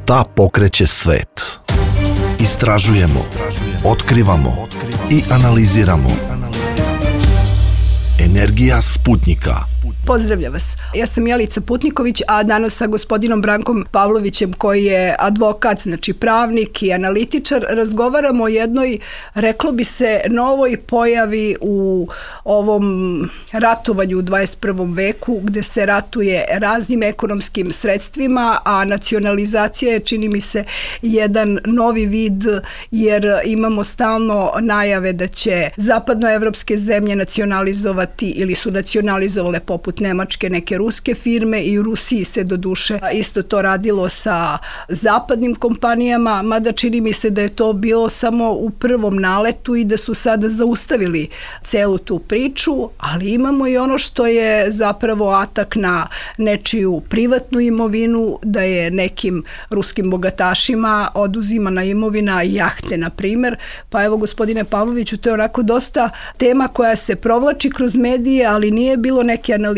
Šta pokreće svet? Istražujemo, otkrivamo i analiziramo. Energija Sputnika. Pozdravljam vas. Ja sam Jelica Putniković, a danas sa gospodinom Brankom Pavlovićem, koji je advokat, znači pravnik i analitičar, razgovaramo o jednoj, reklo bi se, novoj pojavi u ovom ratovanju u 21. veku, gde se ratuje raznim ekonomskim sredstvima, a nacionalizacija je, čini mi se, jedan novi vid, jer imamo stalno najave da će zapadnoevropske zemlje nacionalizovati ili su nacionalizovale poput Nemačke neke ruske firme, i u Rusiji se doduše isto to radilo sa zapadnim kompanijama, mada čini mi se da je to bilo samo u prvom naletu i da su sada zaustavili celu tu priču, ali imamo i ono što je zapravo atak na nečiju privatnu imovinu, da je nekim ruskim bogatašima oduzimana imovina, jahte na primer. Pa evo, gospodine Pavloviću, to je onako dosta tema koja se provlači kroz medije, ali nije bilo neke analize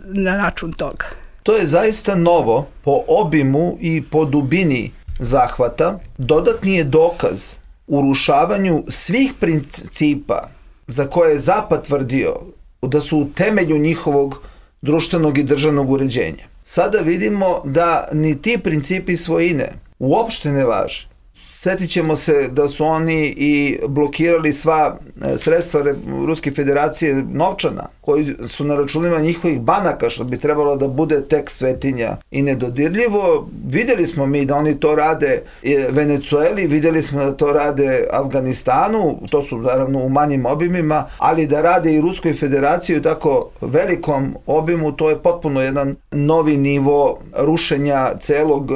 na račun toga. To je zaista novo po obimu i po dubini zahvata. Dodatni je dokaz urušavanju svih principa za koje je Zapad tvrdio da su u temelju njihovog društvenog i državnog uređenja. Sada vidimo da ni ti principi svojine uopšte ne važe. Sjetit ćemo se da su oni i blokirali sva sredstva Ruske federacije novčana, koji su na računima njihovih banaka, što bi trebalo da bude tek svetinja i nedodirljivo. Vidjeli smo mi da oni to rade Venecueli, vidjeli smo da to rade Afganistanu, to su naravno u manjim obimima, ali da rade i Ruskoj federaciji u tako velikom obimu, to je potpuno jedan novi nivo rušenja celog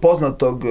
poznatog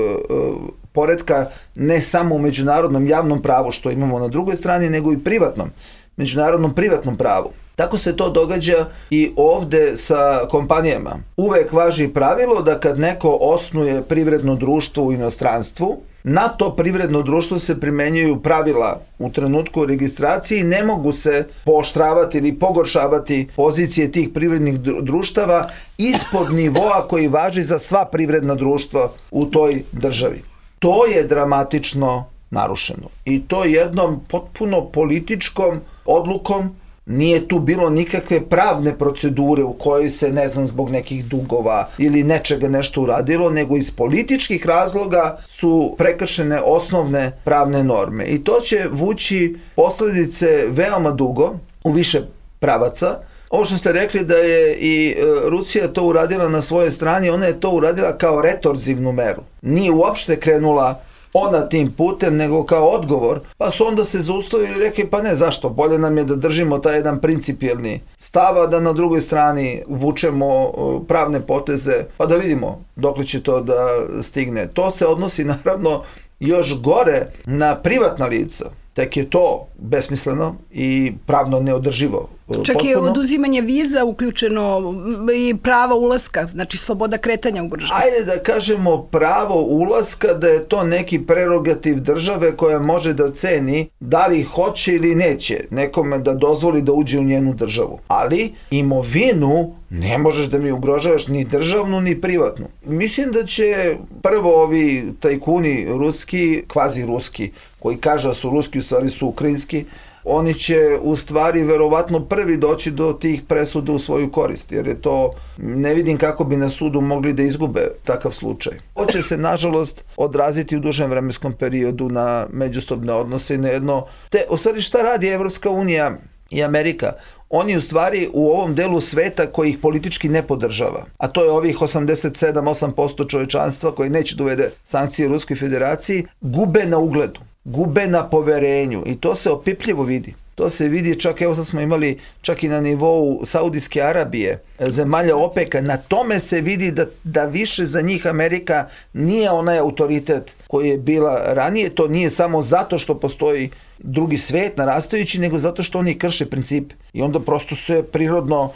poretka, ne samo u međunarodnom javnom pravu što imamo na drugoj strani, nego i privatnom, međunarodnom privatnom pravu. Tako se to događa i ovde sa kompanijama. Uvek važi pravilo da kad neko osnuje privredno društvo u inostranstvu, na to privredno društvo se primenjuju pravila u trenutku registracije i ne mogu se pooštravati ili pogoršavati pozicije tih privrednih društava ispod nivoa koji važi za sva privredna društva u toj državi. To je dramatično narušeno i to jednom potpuno političkom odlukom. Nije tu bilo nikakve pravne procedure u kojoj se, ne znam, zbog nekih dugova ili nečega nešto uradilo, nego iz političkih razloga su prekršene osnovne pravne norme. I to će vući posledice veoma dugo u više pravaca. Ovo što ste rekli da je i Rusija to uradila na svojoj strani, ona je to uradila kao retorzivnu meru. Nije uopšte krenula ona tim putem, nego kao odgovor, pa su onda se zaustavili i rekli, pa ne, zašto, bolje nam je da držimo taj jedan principijelni stav, a da na drugoj strani vučemo pravne poteze, pa da vidimo dokle će to da stigne. To se odnosi naravno još gore na privatna lica. Tek je to besmisleno i pravno neodrživo. Čak je oduzimanje viza uključeno i prava ulaska, znači sloboda kretanja ugrožena. Ajde da kažemo pravo ulaska, da je to neki prerogativ države koja može da ceni da li hoće ili neće nekome da dozvoli da uđe u njenu državu. Ali imovinu ne možeš da mi ugrožavaš ni državnu ni privatnu. Mislim da će prvo ovi tajkuni ruski, kvazi ruski, koji kažu da su ruski, u stvari su ukrajinski, oni će u stvari verovatno prvi doći do tih presuda u svoju korist, jer je to, ne vidim kako bi na sudu mogli da izgube takav slučaj. Ovo će se, nažalost, odraziti u dužem vremenskom periodu na međusobne odnose i na jedno... U stvari, šta radi Evropska unija i Amerika? Oni u stvari u ovom delu sveta koji ih politički ne podržava, a to je ovih 87-8% čovečanstva koji neće da uvede sankcije Ruskoj federaciji, gube na ugledu, gube na poverenju i to se opipljivo vidi. To se vidi čak, evo sad smo imali čak i na nivou Saudijske Arabije, zemalja OPEC-a, na tome se vidi da više za njih Amerika nije onaj autoritet koji je bila ranije. To nije samo zato što postoji drugi svet narastajući, nego zato što oni krše principe i onda prosto se prirodno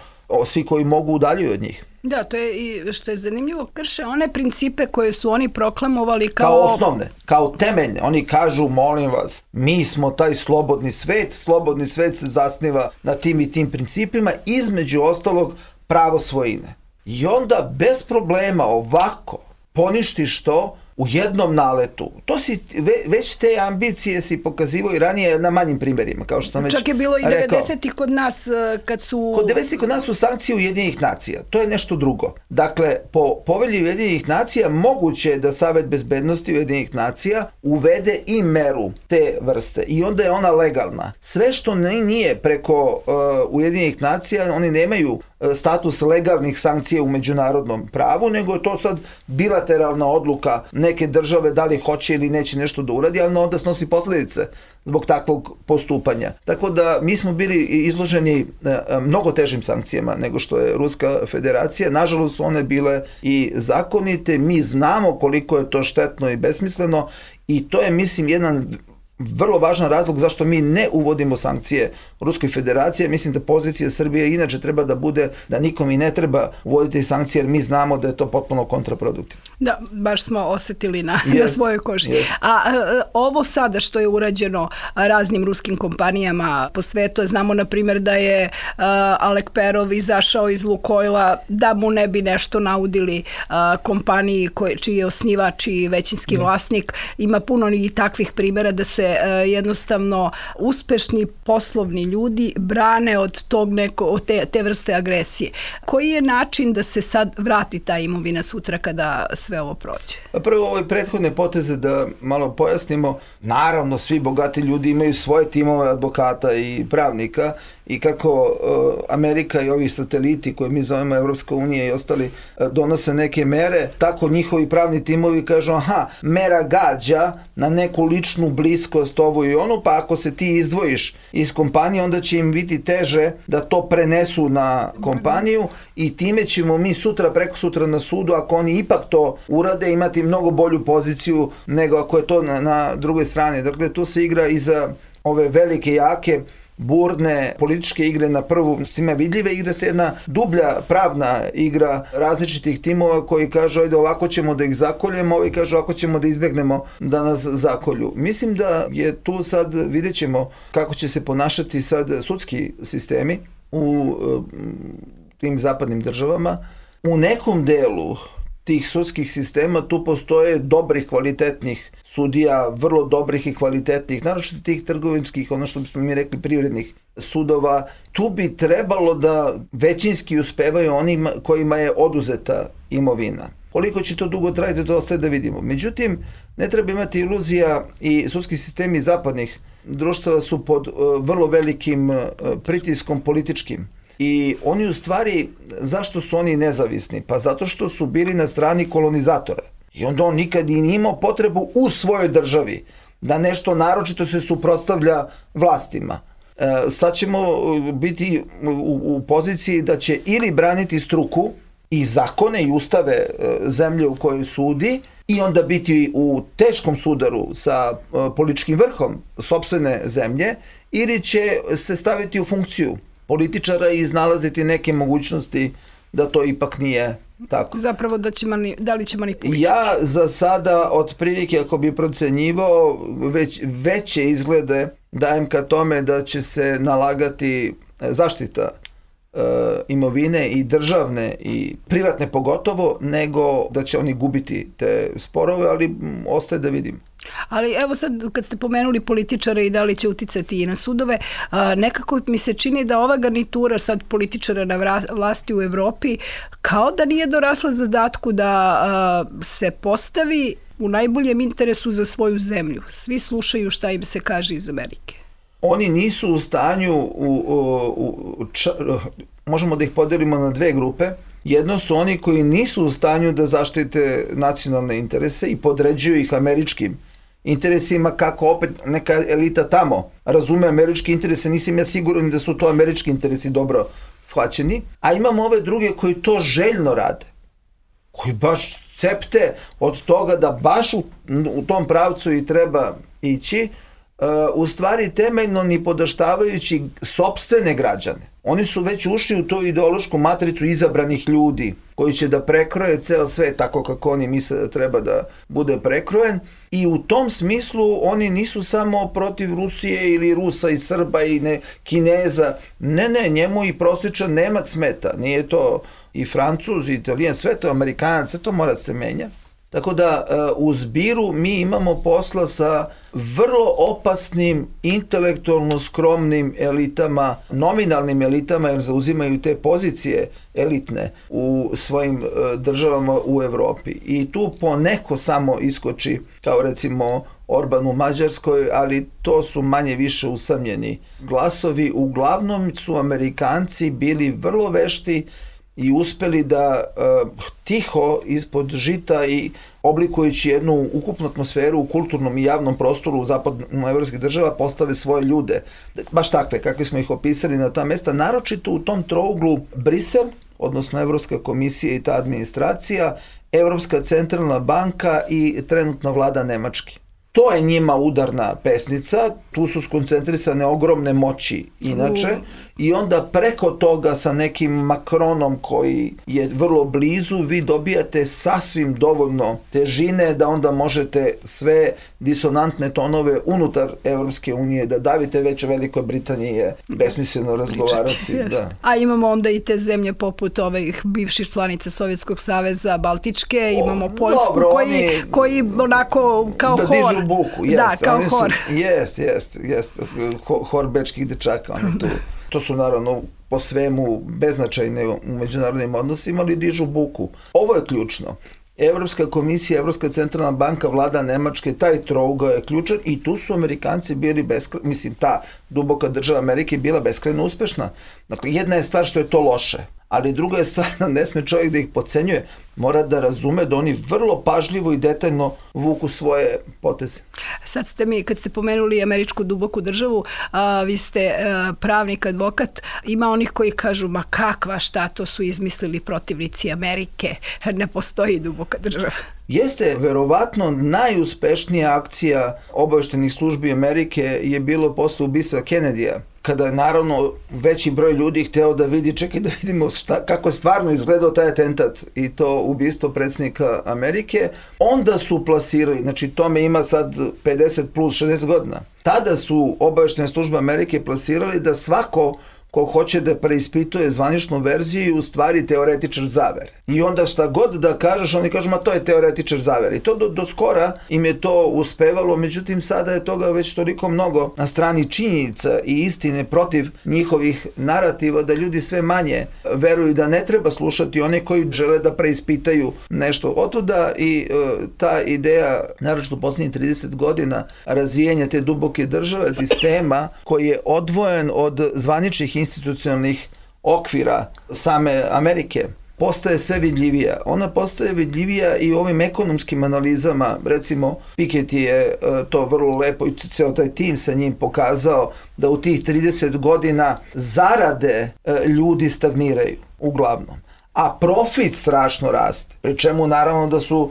svi koji mogu udaljuju od njih. Da, to je i što je zanimljivo, krše one principe koje su oni proklamovali kao osnovne, kao temeljne. Oni kažu, molim vas, mi smo taj slobodni svet se zasniva na tim i tim principima, između ostalog pravo svojine. I onda bez problema ovako poništiš to u jednom naletu. To si, već te ambicije si pokazivao i ranije na manjim primjerima, kao što sam već rekao. Čak je bilo i 90-ih kod nas kad su... Kod 90-ih kod nas su sankcije Ujedinjenih nacija. To je nešto drugo. Dakle, po povelji Ujedinjenih nacija moguće je da Savet bezbednosti Ujedinjenih nacija uvede i meru te vrste. I onda je ona legalna. Sve što nije preko Ujedinjenih nacija, oni nemaju status legalnih sankcija u međunarodnom pravu, nego je to sad bilateralna odluka neke države da li hoće ili neće nešto da uradi, ali onda snosi posljedice zbog takvog postupanja. Tako da mi smo bili izloženi mnogo težim sankcijama nego što je Ruska federacija. Nažalost su one bile i zakonite. Mi znamo koliko je to štetno i besmisleno i to je, mislim, jedan vrlo važan razlog zašto mi ne uvodimo sankcije Ruskoj federaciji. Mislim da pozicija Srbije inače treba da bude da nikom i ne treba uvoditi sankcije, jer mi znamo da je to potpuno kontraproduktivno. Da, baš smo osetili na svojoj koži. A ovo sada što je urađeno raznim ruskim kompanijama po svetu, znamo na primjer da je Alek Perov izašao iz Lukojla da mu ne bi nešto naudili kompaniji čiji je osnivač i većinski vlasnik. Ima puno i takvih primjera da se jednostavno uspešni poslovni ljudi brane od te vrste agresije. Koji je način da se sad vrati ta imovina sutra kada sve ovo prođe? Prvo, ove prethodne poteze da malo pojasnimo. Naravno, svi bogati ljudi imaju svoje timove advokata i pravnika i kako Amerika i ovi sateliti koje mi zovemo Evropska unija i ostali donose neke mere, tako njihovi pravni timovi kažu mera gađa na neku ličnu bliskost ovu i onu, pa ako se ti izdvojiš iz kompanije, onda će im biti teže da to prenesu na kompaniju i time ćemo mi sutra, preko sutra na sudu, ako oni ipak to urade, imati mnogo bolju poziciju nego ako je to na drugoj strani. Dakle, tu se igra i za ove velike, jake, burne političke igre na prvu svima vidljive, igra se jedna dublja pravna igra različitih timova koji kažu ajde ovako ćemo da ih zakoljemo, ovi kažu ovako ćemo da izbjegnemo da nas zakolju. Mislim da je tu sad, vidjet ćemo kako će se ponašati sad sudski sistemi u tim zapadnim državama. U nekom delu tih sudskih sistema tu postoje dobrih, kvalitetnih sudija, vrlo dobrih i kvalitetnih, naročito tih trgovinskih, ono što bismo mi rekli privrednih sudova. Tu bi trebalo da većinski uspevaju onima kojima je oduzeta imovina. Koliko će to dugo trajati, to ostaje da vidimo. Međutim, ne treba imati iluzija i sudski sistemi zapadnih društava su pod vrlo velikim pritiskom političkim. I oni u stvari, zašto su oni nezavisni? Pa zato što su bili na strani kolonizatora. I onda on nikad i nije imao potrebu u svojoj državi da nešto naročito se suprotstavlja vlastima. Sad ćemo biti u poziciji da će ili braniti struku i zakone i ustave zemlje u kojoj sudi i onda biti u teškom sudaru sa političkim vrhom sopstvene zemlje, ili će se staviti u funkciju političara i iznalaziti neke mogućnosti da to ipak nije tako. Zapravo da li će manipulisati? Ja za sada otprilike, ako bi procenjivao, veće izglede dajem ka tome da će se nalagati zaštita imovine i državne i privatne pogotovo, nego da će oni gubiti te sporove, ali ostaje da vidim. Ali evo sad kad ste pomenuli političare i da li će uticati i na sudove, nekako mi se čini da ova garnitura sad političara na vlasti u Evropi kao da nije dorasla zadatku da se postavi u najboljem interesu za svoju zemlju. Svi slušaju šta im se kaže iz Amerike. Oni nisu u stanju, možemo da ih podelimo na dve grupe. Jedno su oni koji nisu u stanju da zaštite nacionalne interese i podređuju ih američkim interesima, kako opet neka elita tamo razume američke interese. Nisam ja siguran da su to američki interesi dobro shvaćeni. A imamo ove druge koji to željno rade, koji baš cepte od toga da baš u tom pravcu i treba ići, u stvari temeljno ni podaštavajući sopstvene građane. Oni su već ušli u tu ideološku matricu izabranih ljudi koji će da prekroje ceo svet tako kako oni misle da treba da bude prekrojen, i u tom smislu oni nisu samo protiv Rusije ili Rusa i Srba i Kineza. Ne, njemu i prosječan Nemac smeta. Nije to i Francuz, i Italijan, sve to Amerikanac, sve to mora se menja. Tako da u zbiru mi imamo posla sa vrlo opasnim, intelektualno skromnim elitama, nominalnim elitama, jer zauzimaju te pozicije elitne u svojim državama u Evropi. I tu poneko samo iskoči, kao recimo Orban u Mađarskoj, ali to su manje više usamljeni glasovi. Uglavnom su Amerikanci bili vrlo vešti i uspeli da tiho ispod žita i oblikujući jednu ukupnu atmosferu u kulturnom i javnom prostoru u zapadnoevropskih država postave svoje ljude. Baš takve, kakvi smo ih opisali na ta mesta, naročito u tom trouglu Brisel, odnosno Evropska komisija i ta administracija, Evropska centralna banka i trenutna vlada Nemačke. To je njima udarna pesnica, tu su skoncentrisane ogromne moći inače i onda preko toga sa nekim Macronom koji je vrlo blizu vi dobijate sasvim dovoljno težine da onda možete sve disonantne tonove unutar Evropske unije da davite, već u Velikoj Britaniji je besmisleno razgovarati. Da. A imamo onda i te zemlje poput ovih bivših članica Sovjetskog saveza, Baltičke, imamo Poljsku, dobro, koji onako kao da hor. Dižu buku, Da, kao hor. Jest. Hor bečkih dečaka, oni tu. To su naravno po svemu beznačajne u međunarodnim odnosima, ali dižu buku. Ovo je ključno. Evropska komisija, Evropska centralna banka, vlada Nemačke, taj trougao je ključan i tu su Amerikanci bili ta duboka država Amerike bila beskrajno uspešna. Dakle, jedna je stvar što je to loše, ali druga je stvar da ne sme čovjek da ih podcenjuje, mora da razume da oni vrlo pažljivo i detaljno vuku svoje poteze. Sad kad ste pomenuli američku duboku državu, vi ste pravnik, advokat, ima onih koji kažu, ma kakva, šta to su izmislili protivnici Amerike, ne postoji duboka država. Jeste, verovatno najuspešnija akcija obaveštajnih službi Amerike je bilo posle ubistva Kennedyja, kada je naravno veći broj ljudi hteo da vidi, čekaj da vidimo kako je stvarno izgledao taj atentat i to ubistvo predsjednika Amerike, onda su plasirali, znači tome ima sad 50 plus 60 godina. Tada su obaveštajne službe Amerike plasirali da svako ko hoće da preispituje zvaničnu verziju je u stvari teoretičar zavere. I onda šta god da kažeš, oni kažu, ma to je teoretičar zavere. I to do skora im je to uspevalo, međutim sada je toga već toliko mnogo na strani činjenica i istine protiv njihovih narativa da ljudi sve manje veruju da ne treba slušati one koji žele da preispitaju nešto. Otuda i ta ideja, naročito u posljednjih 30 godina, razvijanja te duboke države, sistema koji je odvojen od zvaničnih institucionalnih okvira same Amerike, postaje sve vidljivija. Ona postaje vidljivija i u ovim ekonomskim analizama, recimo Piketty je to vrlo lepo i ceo taj tim sa njim pokazao da u tih 30 godina zarade ljudi stagniraju uglavnom, a profit strašno raste, pri čemu naravno da su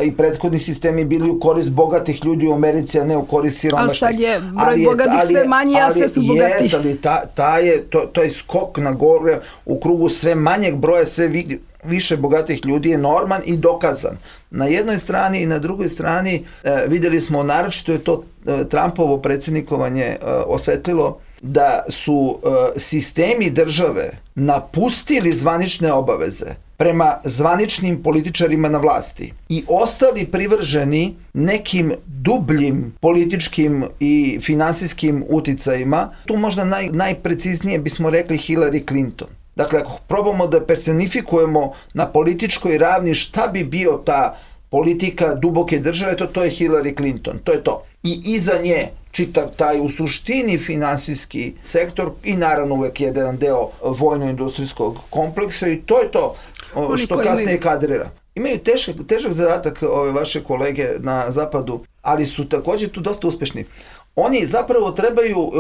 i prethodni sistemi bili u korist bogatih ljudi u Americi, a ne u korist siromašnih. Ali sad je broj bogatih sve manji, a sve su bogati. Ali to je skok na gore u krugu sve manjeg broja, sve više bogatih ljudi je norman i dokazan. Na jednoj strani i na drugoj strani videli smo, naročito je to Trumpovo predsjednikovanje osvetlilo, da su sistemi države napustili zvanične obaveze prema zvaničnim političarima na vlasti i ostali privrženi nekim dubljim političkim i finansijskim uticajima. Tu možda najpreciznije bismo rekli Hillary Clinton. Dakle, ako probamo da personifikujemo na političkoj ravni šta bi bio ta politika duboke države, to je Hillary Clinton, to je to. I iza nje čitav taj u suštini finansijski sektor i naravno uvek jedan deo vojno-industrijskog kompleksa i to je to što kasnije kadrira. Imaju težak zadatak ove vaše kolege na zapadu, ali su također tu dosta uspešni. Oni zapravo trebaju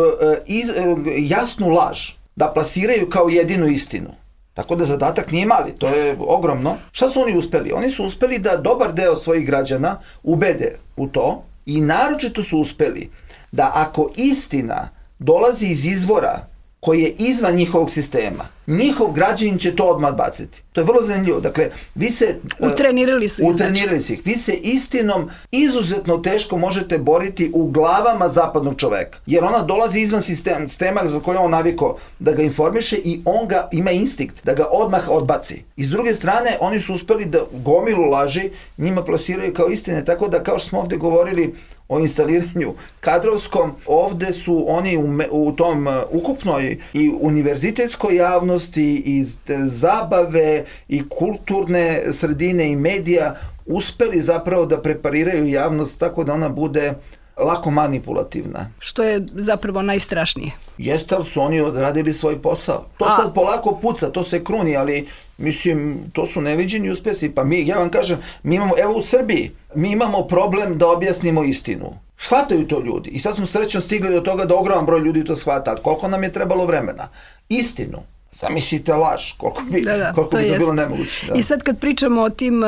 jasnu laž da plasiraju kao jedinu istinu. Tako da zadatak nije mali, to je ogromno. Šta su oni uspeli? Oni su uspeli da dobar deo svojih građana ubede u to i naročito su uspeli da ako istina dolazi iz izvora koji je izvan njihovog sistema, njihov građanin će to odmah baciti. To je vrlo zanimljivo. Dakle, vi se... Utrenirali su ih. Utrenirali su ih. Vi se istinom izuzetno teško možete boriti u glavama zapadnog čoveka. Jer ona dolazi izvan sistema za koje on naviko da ga informiše i on ga ima instinkt da ga odmah odbaci. I s druge strane, oni su uspeli da gomilu laži njima plasiraju kao istine. Tako da, kao što smo ovde govorili o instaliranju kadrovskom, ovde su oni u tom ukupnoj i univerzitetskoj javnosti i zabave i kulturne sredine i medija uspeli zapravo da prepariraju javnost tako da ona bude lako manipulativna. Što je zapravo najstrašnije. Jeste, ali su oni odradili svoj posao. To sad polako puca, to se kruni, ali mislim, to su neviđeni uspesi. Pa ja vam kažem, mi imamo, evo u Srbiji, mi imamo problem da objasnimo istinu. Shvataju to ljudi. I sad smo srećno stigli do toga da ogroman broj ljudi to shvata. Ali koliko nam je trebalo vremena? Istinu. Zamislite laž, koliko bi to bilo nemoguće. Da. I sad kad pričamo o tim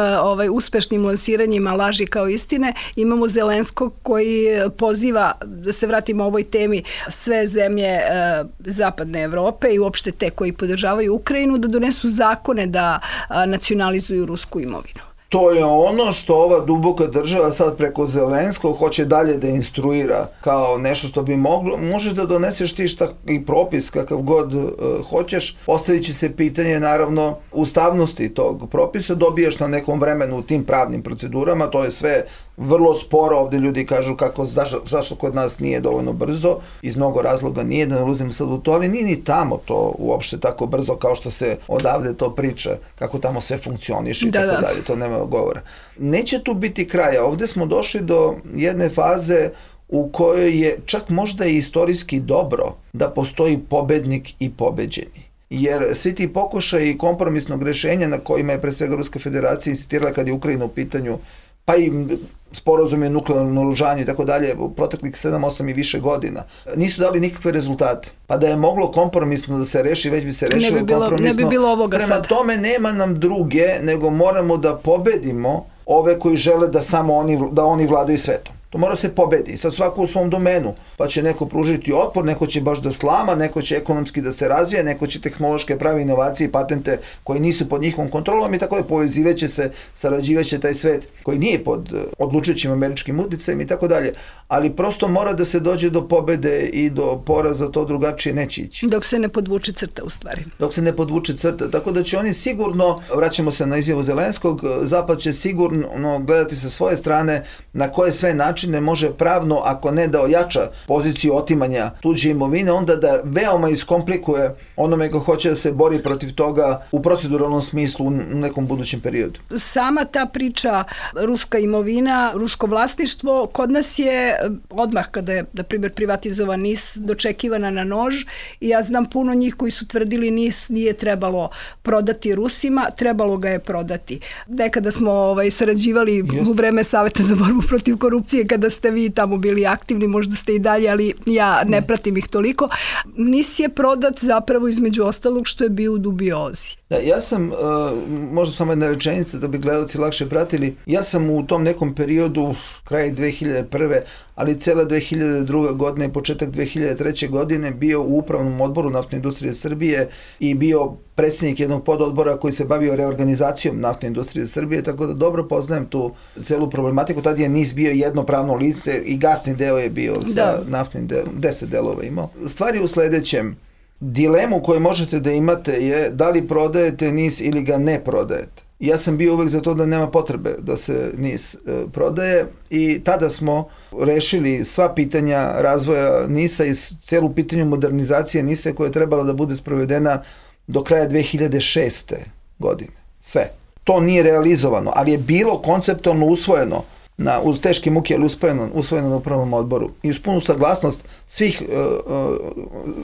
uspešnim lansiranjima laži kao istine, imamo Zelenskog koji poziva, da se vratimo o ovoj temi, sve zemlje zapadne Evrope i uopšte te koji podržavaju Ukrajinu da donesu zakone da nacionalizuju rusku imovinu. To je ono što ova duboka država sad preko Zelenskog hoće dalje da instruira kao nešto što bi moglo. Možeš da doneseš ti i propis kakav god hoćeš. Postavit će se pitanje naravno ustavnosti tog propisa. Dobijaš na nekom vremenu u tim pravnim procedurama. To je sve vrlo sporo. Ovde ljudi kažu zašto kod nas nije dovoljno brzo. Iz mnogo razloga nije, da ne ulazim sad u to, ali nije ni tamo to uopšte tako brzo kao što se odavde to priča, kako tamo sve funkcioniše i tako dalje. To nema govora. Neće tu biti kraja. Ovde smo došli do jedne faze u kojoj je čak možda i istorijski dobro da postoji pobednik i pobeđeni. Jer svi ti pokušaji kompromisnog rešenja na kojima je pre svega Ruska federacija insistirala kad je Ukrajina u pitanju, pa i sporazum je nuklearno naoružanje i tako dalje, u proteklih 7, 8 i više godina, nisu dali nikakve rezultate. Pa da je moglo kompromisno da se reši, već bi se rešilo kompromisno. Ne bi bilo ovoga sad. Prema tome nema nam druge, nego moramo da pobedimo ove koji žele da samo oni vladaju svetom. To mora se pobedi, sad svako u svom domenu, pa će neko pružiti otpor, neko će baš da slama, neko će ekonomski da se razvija, neko će tehnološke pravi inovacije i patente koji nisu pod njihovom kontrolom i tako da povezivaće se, sarađivaće taj svet koji nije pod odlučujućim američkim uticajem i tako dalje, ali prosto mora da se dođe do pobede i do poraza, to drugačije neće ići. Dok se ne podvuče crta u stvari. Dok se ne podvuče crta, tako da će oni sigurno, vraćamo se na izjavu Zelenskog, Zapad će sigurno gledati sa svoje strane na koje sve načine može pravno, ako ne da ojača poziciju otimanja tuđe imovine, onda da veoma iskomplikuje onome ko hoće da se bori protiv toga u proceduralnom smislu u nekom budućem periodu. Sama ta priča ruska imovina, rusko vlasništvo, kod nas je odmah kada je, na primjer, privatizovan NIS, dočekivana na nož i ja znam puno njih koji su tvrdili NIS nije trebalo prodati Rusima, trebalo ga je prodati. Nekada smo sarađivali u vreme Saveta za borbu protiv korupcije kada ste vi tamo bili aktivni, možda ste i dalje, ali ja ne pratim ih toliko. NIS je prodat zapravo između ostalog što je bio u dubiozi. Da, ja sam, možda samo jedna rečenica da bi gledalci lakše pratili, ja sam u tom nekom periodu, kraj 2001. ali cela 2002. godina i početak 2003. godine bio u upravnom odboru Naftne industrije Srbije i bio predsjednik jednog pododbora koji se bavio reorganizacijom Naftne industrije Srbije, tako da dobro poznajem tu celu problematiku. Tad je NIS bio jedno pravno lice i gasni deo je bio sa naftnim delom, 10 delova imao. Stvar je u sledećem. Dilemu koju možete da imate je da li prodajete NIS ili ga ne prodajete. Ja sam bio uvek za to da nema potrebe da se NIS prodaje i tada smo rešili sva pitanja razvoja NIS-a i celu pitanju modernizacije NIS-a koja je trebala da bude sprovedena do kraja 2006. godine. Sve. To nije realizovano, ali je bilo konceptualno usvojeno uz teške muke, ali usvojeno na upravnom odboru i uz punu saglasnost svih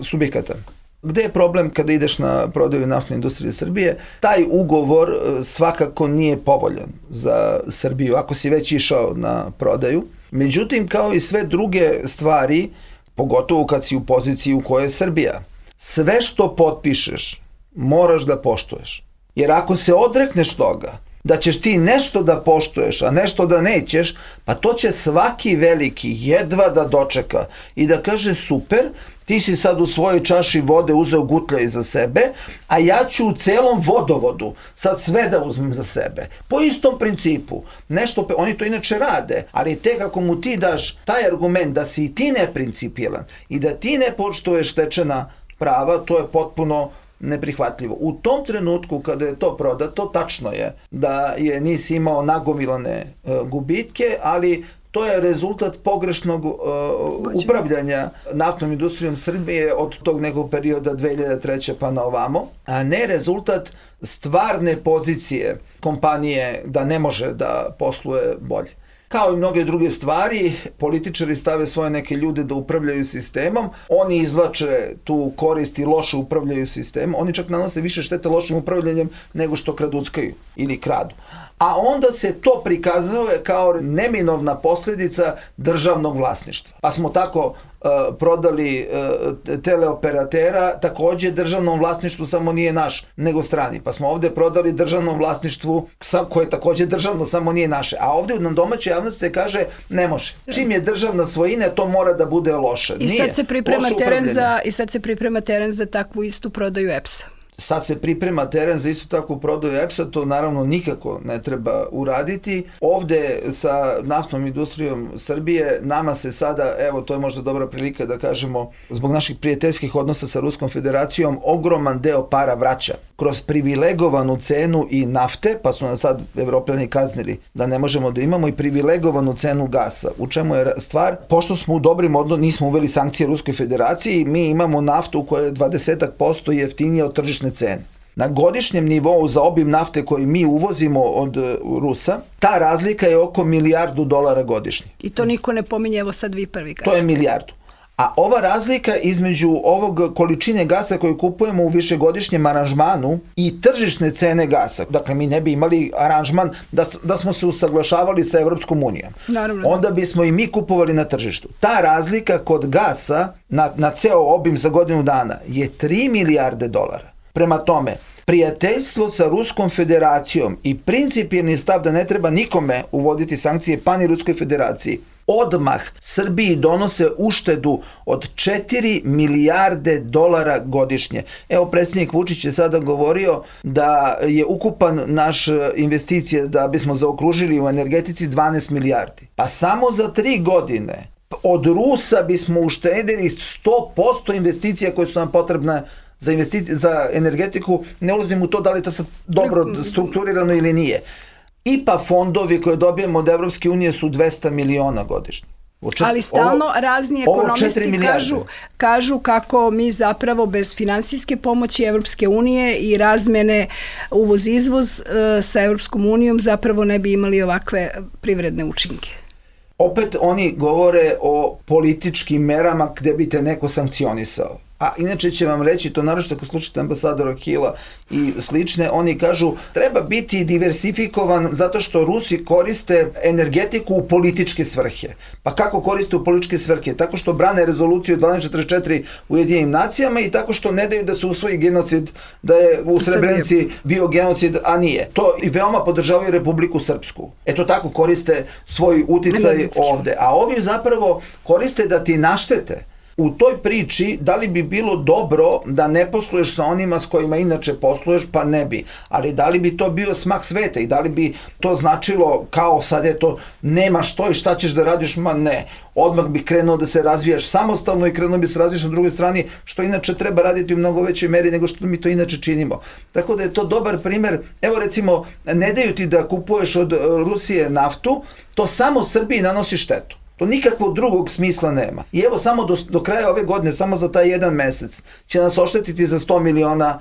subjekata. Gde je problem kada ideš na prodaju Naftne industrije Srbije? Taj ugovor svakako nije povoljan za Srbiju, ako si već išao na prodaju. Međutim, kao i sve druge stvari, pogotovo kad si u poziciji u kojoj je Srbija, sve što potpišeš moraš da poštuješ. Jer ako se odrekneš toga, da ćeš ti nešto da poštuješ, a nešto da nećeš, pa to će svaki veliki jedva da dočeka i da kaže super, ti si sad u svojoj čaši vode uzeo gutljaj za sebe, a ja ću u celom vodovodu sad sve da uzmem za sebe. Po istom principu. Nešto, oni to inače rade, ali tek ako mu ti daš taj argument da si i ti neprincipijelan i da ti ne poštuješ stečena prava, to je potpuno neprihvatljivo. U tom trenutku kada je to prodato, tačno je da je nisi imao nagomilane gubitke, ali to je rezultat pogrešnog upravljanja naftnom industrijom Srbije od tog nekog perioda 2003. pa na ovamo, a ne rezultat stvarne pozicije kompanije da ne može da posluje bolje. Kao i mnoge druge stvari, političari stave svoje neke ljude da upravljaju sistemom, oni izvlače tu korist i loše upravljaju sistemom, oni čak nanose više štete lošim upravljanjem nego što kraduckaju ili kradu. A onda se to prikazuje kao neminovna posljedica državnog vlasništva. Pa smo tako prodali teleoperatera, takođe državnom vlasništvu, samo nije naš, nego strani. Pa smo ovde prodali državnom vlasništvu koje je takođe državno, samo nije naše. A ovde na domaćoj javnosti se kaže ne može. Čim je državna svojina, to mora da bude loše. I sad se priprema teren za takvu istu prodaju EPS-a. Sad se priprema teren za isto takvu prodaju EPS-a, to naravno nikako ne treba uraditi. Ovde sa naftnom industrijom Srbije nama se sada, evo to je možda dobra prilika da kažemo, zbog naših prijateljskih odnosa sa Ruskom federacijom, ogroman deo para vraća kroz privilegovanu cenu i nafte, pa su nas sad Evropljani kaznili da ne možemo da imamo, i privilegovanu cenu gasa. U čemu je stvar? Pošto smo u dobrim odnosima, nismo uveli sankcije Ruskoj federaciji, mi imamo naftu koja je 20% jeftinija od tržišne cene. Na godišnjem nivou za obim nafte koji mi uvozimo od Rusa, ta razlika je oko $1 milijardu godišnje. I to niko ne pominje, evo sad vi prvi kažete. To je $1 milijardu. A ova razlika između ovog količine gasa koju kupujemo u višegodišnjem aranžmanu i tržišne cene gasa, dakle mi ne bi imali aranžman da smo se usaglašavali sa Evropskom unijom. Naravno. Onda bismo i mi kupovali na tržištu. Ta razlika kod gasa na ceo obim za godinu dana je $3 milijarde. Prema tome, prijateljstvo sa Ruskom federacijom i principijelni stav da ne treba nikome uvoditi sankcije, pa ni Ruskoj federaciji, odmah Srbiji donose uštedu od $4 milijarde godišnje. Evo, predsjednik Vučić je sada govorio da je ukupan naš investicije, da bismo zaokružili u energetici, 12 milijardi. Pa samo za 3 godine od Rusa bismo uštedili 100% investicija koje su nam potrebne za energetiku. Ne ulazim u to da li to sad dobro strukturirano ili nije. IPA fondovi koje dobijemo od Evropske unije su 200 miliona godišnje. Ali stalno razni ekonomisti kažu kako mi zapravo bez finansijske pomoći Evropske unije i razmene uvoz-izvoz sa Evropskom unijom zapravo ne bi imali ovakve privredne učinke. Opet oni govore o političkim merama gde bi te neko sankcionisao. A inače će vam reći, to naročito kad slušate ambasadora Hila i slične, oni kažu treba biti diversifikovan zato što Rusi koriste energetiku u političke svrhe. Pa kako koriste u političke svrhe? Tako što brane rezoluciju 1244 u Ujedinjenim nacijama i tako što ne daju da se usvoji genocid, da je u Srebrenici bio genocid, a nije. To i veoma podržavaju Republiku Srpsku. Eto tako koriste svoj uticaj ovde. A ovi zapravo koriste da ti naštete. U toj priči, da li bi bilo dobro da ne posluješ sa onima s kojima inače posluješ, pa ne bi. Ali da li bi to bio smak sveta i da li bi to značilo kao sad je to, nemaš to i šta ćeš da radiš, ma ne. Odmah bi krenuo da se razvijaš samostalno i krenuo bi se razvijaš na drugoj strani, što inače treba raditi u mnogo većoj meri nego što mi to inače činimo. Tako da je to dobar primer. Evo recimo, ne daju ti da kupuješ od Rusije naftu, to samo Srbiji nanosi štetu. To nikakvog drugog smisla nema. I evo samo do kraja ove godine, samo za taj jedan mesec, će nas oštetiti za $100 miliona.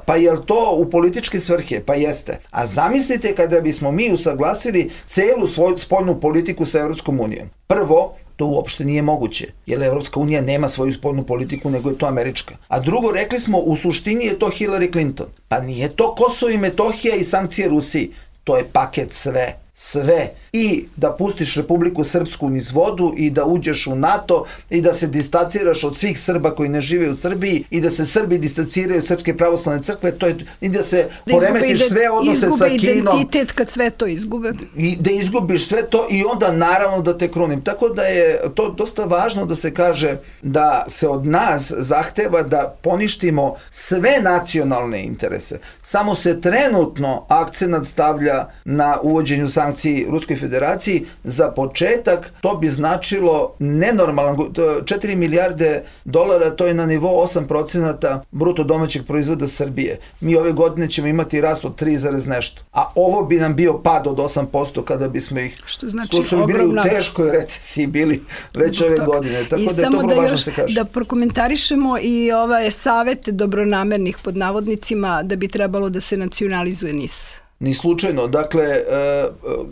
Pa je li to u političke svrhe? Pa jeste. A zamislite kada bismo mi usaglasili celu svoju spoljnu politiku sa Evropskom unijom. Prvo, to uopšte nije moguće, jer Evropska unija nema svoju spoljnu politiku, nego je to američka. A drugo, rekli smo, u suštini je to Hillary Clinton. Pa nije to Kosovo i Metohija i sankcije Rusiji. To je paket sve. sve. I da pustiš Republiku Srpsku niz vodu i da uđeš u NATO i da se distanciraš od svih Srba koji ne žive u Srbiji i da se Srbi distanciraju od Srpske pravoslavne crkve, i da se poremetiš sve odnose sa Kinom. Izgube identitet kad sve to izgube. I da izgubiš sve to i onda naravno da te krunim. Tako da je to dosta važno da se kaže da se od nas zahteva da poništimo sve nacionalne interese. Samo se trenutno akcenat stavlja na uvođenju sankciji Ruskoj federaciji. Za početak to bi značilo nenormalan, 4 milijarde dolara, to je na nivou 8% bruto domaćeg proizvoda Srbije. Mi ove godine ćemo imati rast od 3, nešto. A ovo bi nam bio pad od 8% kada bismo ih slučajno bili u teškoj recesiji bili već ove godine. Tako da je to vrlo važno se kaže. Da prokomentarišemo i ovaj savet dobronamernih pod navodnicima da bi trebalo da se nacionalizuje NIS. Ni slučajno. Dakle,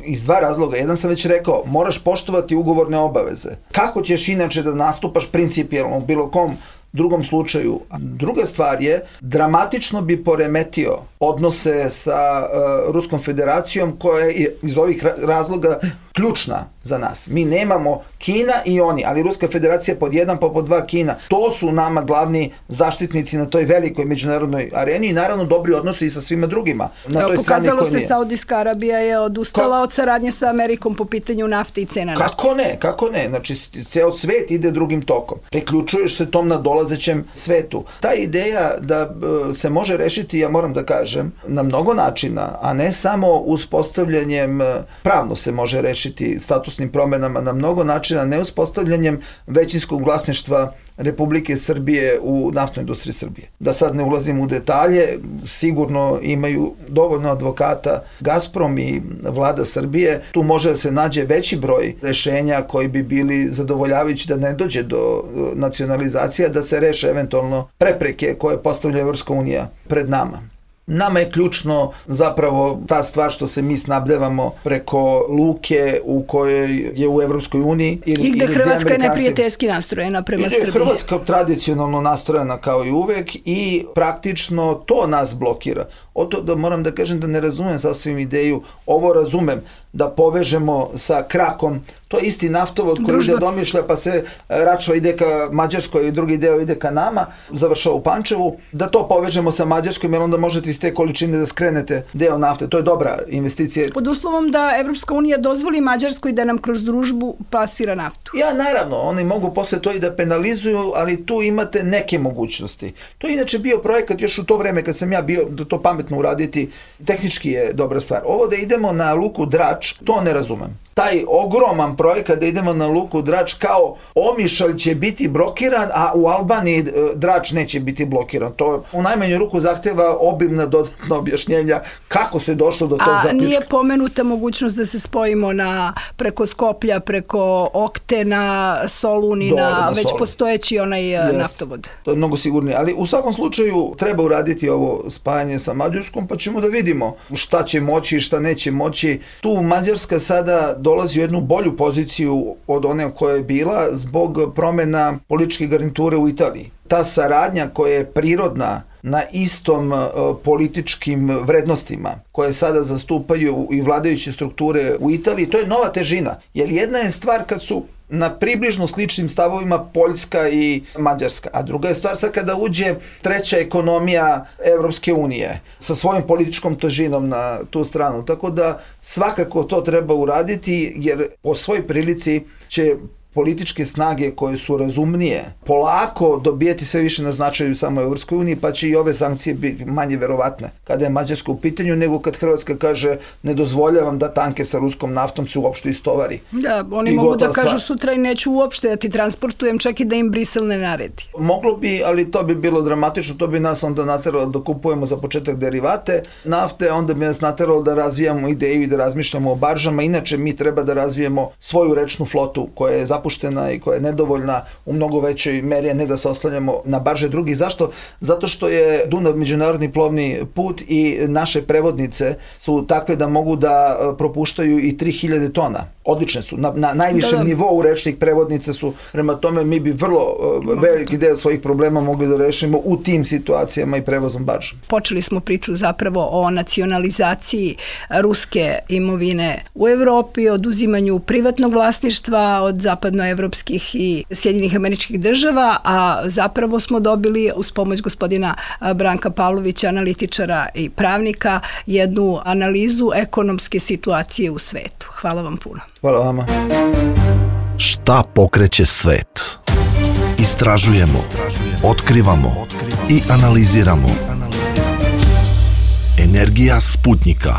iz dva razloga. Jedan sam već rekao, moraš poštovati ugovorne obaveze. Kako ćeš inače da nastupaš principijelno u bilo kom drugom slučaju? Druga stvar je, dramatično bi poremetio odnose sa Ruskom federacijom koja je iz ovih razloga ključna za nas. Mi nemamo Kina i oni, ali Ruska federacija pod 1 pa pod 2 Kina. To su nama glavni zaštitnici na toj velikoj međunarodnoj areni i naravno dobri odnosi i sa svima drugima. Pokazalo se Saudijska Arabija je odustala od saradnje sa Amerikom po pitanju nafte i cena nafte. Kako ne? Znači, ceo svet ide drugim tokom. Priključuješ se tom nadolazećem svetu. Ta ideja da se može rešiti, ja moram da kažem, na mnogo načina, a ne samo uspostavljanjem, pravno se može rešiti statusnim promenama na mnogo načina, ne uspostavljanjem većinskog vlasništva Republike Srbije u naftnoj industriji Srbije. Da sad ne ulazim u detalje, sigurno imaju dovoljno advokata Gazprom i vlada Srbije. Tu može da se nađe veći broj rešenja koji bi bili zadovoljavajući da ne dođe do nacionalizacija, da se reše eventualno prepreke koje postavlja Evropska unija pred nama. Nama je ključno zapravo ta stvar što se mi snabdevamo preko luke u kojoj je u Evropskoj uniji. I gde Hrvatska je neprijateljski nastrojena prema Srbiji. I gde je Hrvatska tradicionalno nastrojena kao i uvek i praktično to nas blokira. Da moram da kažem da ne razumem sasvim ideju, ovo razumem, da povežemo sa krakom, to je isti naftovod koji ide do Omišlja pa se Račva ide ka Mađarskoj i drugi deo ide ka nama, završava u Pančevu, da to povežemo sa Mađarskom jer onda možete iz te količine da skrenete deo nafte. To je dobra investicija. Pod uslovom da Evropska unija dozvoli Mađarskoj da nam kroz družbu plasira naftu. Ja, naravno, oni mogu posle to i da penalizuju, ali tu imate neke mogućnosti. To je inače bio projekat još u to vreme kad sam ja bio da to pametno uraditi, tehnički je dobra stvar. Ovo da idemo na luku Drač, to ne razumem. Taj ogroman projekat da idemo na luku Drač kao Omišalj će biti blokiran, a u Albaniji Drač neće biti blokiran. To u najmanju ruku zahteva obimna dodatna objašnjenja kako se došlo do tog zaključka. A nije pomenuta mogućnost da se spojimo preko Skoplja, preko Oktena, Solunina, već postojeći onaj naftovod. To je mnogo sigurnije, ali u svakom slučaju treba uraditi ovo spajanje sa Mađarskom, pa ćemo da vidimo šta će moći i šta neće moći. Tu Mađarska sada dolazi u jednu bolju poziciju od one koja je bila zbog promena političke garniture u Italiji. Ta saradnja koja je prirodna na istom političkim vrednostima koje sada zastupaju i vladajuće strukture u Italiji, to je nova težina. Jer jedna je stvar kad su na približno sličnim stavovima Poljska i Mađarska. A druga je stvar sad kada uđe treća ekonomija Evropske unije sa svojom političkom težinom na tu stranu. Tako da svakako to treba uraditi jer po svoj prilici će političke snage koje su razumnije polako dobijeti sve više na značaju samo u Evropskoj uniji, pa će i ove sankcije biti manje verovatne kada je Mađarska u pitanju, nego kad Hrvatska kaže ne dozvoljavam da tanker sa ruskom naftom se uopšte istovari. Da, oni mogu da kažu sutra i neću uopšte da ti transportujem, čak i da im Brisel ne naredi. Moglo bi, ali to bi bilo dramatično, to bi nas onda nateralo da kupujemo za početak derivate nafte, onda bi nas nateralo da razvijamo ideju i da razmišljamo o baržama. Inače mi treba da razvijemo svoju rečnu flotu koja je zapravo zapuštena i koja je nedovoljna u mnogo većoj meri, a ne da se oslanjamo na barže drugih. Zašto? Zato što je Dunav međunarodni plovni put i naše prevodnice su takve da mogu da propuštaju i 3000 tona. Odlične su. Na najvišem nivou rečnih prevodnica su. Prema tome mi bi vrlo veliki deo svojih problema mogli da rešimo u tim situacijama i prevozom barža. Počeli smo priču zapravo o nacionalizaciji ruske imovine u Evropi, oduzimanju privatnog vlasništva od zapadnoevropskih i Sjedinjenih Američkih Država, a zapravo smo dobili uz pomoć gospodina Branka Pavlovića, analitičara i pravnika, jednu analizu ekonomske situacije u svetu. Hvala vam puno. Hvala vama. Šta pokreće svet? Istražujemo, otkrivamo i analiziramo. Energija Sputnika.